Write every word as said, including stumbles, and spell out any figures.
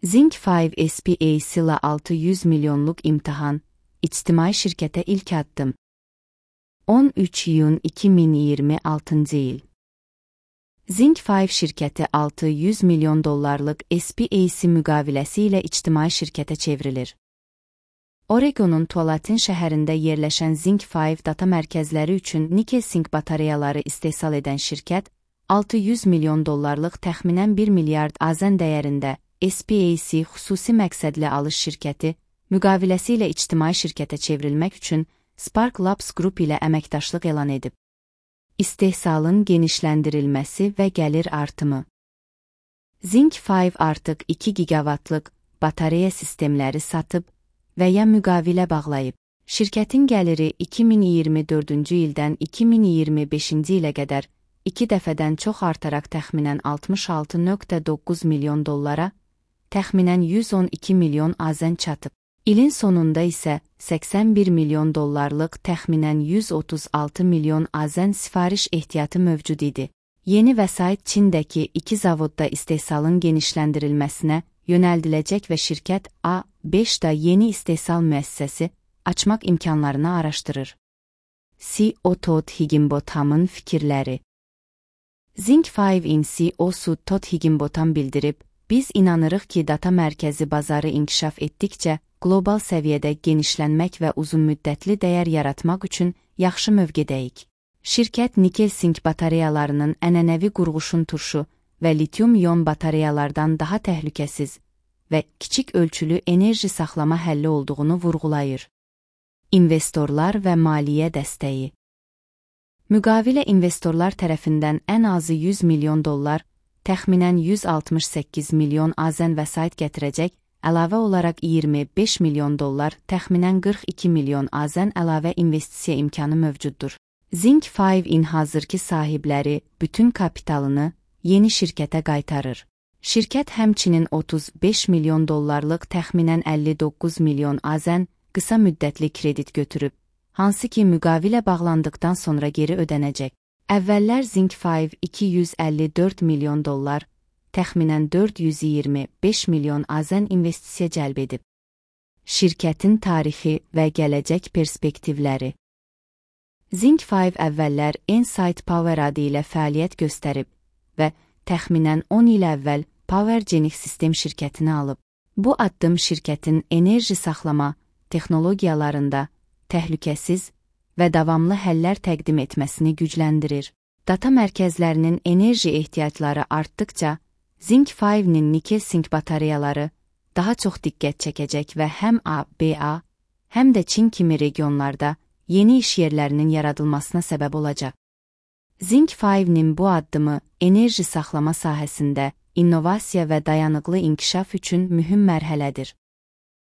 Zinc beş S P A C ile altı yüz milyonluk imtihan, ictimai şirkete ilk addım. on üç iyun iki min iyirmi altıncı il. Zinc beş şirketi altı yüz milyon dollarlık S P A C müqaviləsi ilə ictimai şirkətə çevrilir. Oregonun Tualatin şəhərində yerləşən Zinc beş data mərkəzləri üçün nikel-sink batareyaları istehsal edən şirkət, altı yüz milyon dollarlıq təxminən bir milyard azən dəyərində S P A C xüsusi məqsədli alış şirkəti, müqaviləsi ilə ictimai şirkətə çevrilmək üçün Spark Labs Group ilə əməkdaşlıq elan edib. İstehsalın genişləndirilməsi və gəlir artımı. Zinc beş artıq iki gigavatlıq batareya sistemləri satıb və ya müqavilə bağlayıb. Şirkətin gəliri iki min iyirmi dördüncü ildən iki min iyirmi beşinci ilə qədər iki dəfədən çox artaraq təxminən altmış altı nöqtə doqquz milyon dollara, təxminən yüz on iki milyon azən çatıb. İlin sonunda isə səksən bir milyon dollarlıq təxminən yüz otuz altı milyon azən sifariş ehtiyatı mövcud idi. Yeni vəsait Çindəki iki zavodda istehsalın genişləndirilməsinə yönəldiləcək və şirkət A beşdə yeni istehsal müəssisəsi açmaq imkanlarını araşdırır. C E O Todd Higginbothamın fikirləri. Zinc beşin C E O'su Todd Higginbotham bildirib, biz inanırıq ki, data mərkəzi bazarı inkişaf etdikcə, qlobal səviyyədə genişlənmək və uzunmüddətli dəyər yaratmaq üçün yaxşı mövqedəyik. Şirkət nikel-sink batareyalarının ənənəvi qurğuşun turşu və litium-ion batareyalardan daha təhlükəsiz və kiçik ölçülü enerji saxlama həlli olduğunu vurğulayır. İnvestorlar və maliyyə dəstəyi. Müqavilə investorlar tərəfindən ən azı yüz milyon dollar, təxminən yüz altmış səkkiz milyon azən vəsait gətirəcək, əlavə olaraq iyirmi beş milyon dollar, təxminən qırx iki milyon azən əlavə investisiya imkanı mövcuddur. Zinc beşin hazırki sahibləri bütün kapitalını yeni şirkətə qaytarır. Şirkət həmçinin otuz beş milyon dollarlıq təxminən əlli doqquz milyon azən qısa müddətli kredit götürüb, hansı ki müqavilə bağlandıqdan sonra geri ödənəcək. Əvvəllər Zinc beş iki yüz əlli dörd milyon dollar, təxminən dörd yüz iyirmi beş milyon azən investisiya cəlb edib. Şirkətin tarixi və gələcək perspektivləri. Zinc beş əvvəllər Ensight Power adı ilə fəaliyyət göstərib və təxminən on il əvvəl PowerGenic sistem şirkətini alıb. Bu addım şirkətin enerji saxlama texnologiyalarında təhlükəsiz və davamlı həllər təqdim etməsini gücləndirir. Data mərkəzlərinin enerji ehtiyacları artdıqca, Zinc beşin nikel-sink batareyaları daha çox diqqət çəkəcək və həm A B A, həm də Çin kimi regionlarda yeni iş yerlərinin yaradılmasına səbəb olacaq. Zinc beşin bu addımı enerji saxlama sahəsində innovasiya və dayanıqlı inkişaf üçün mühüm mərhələdir.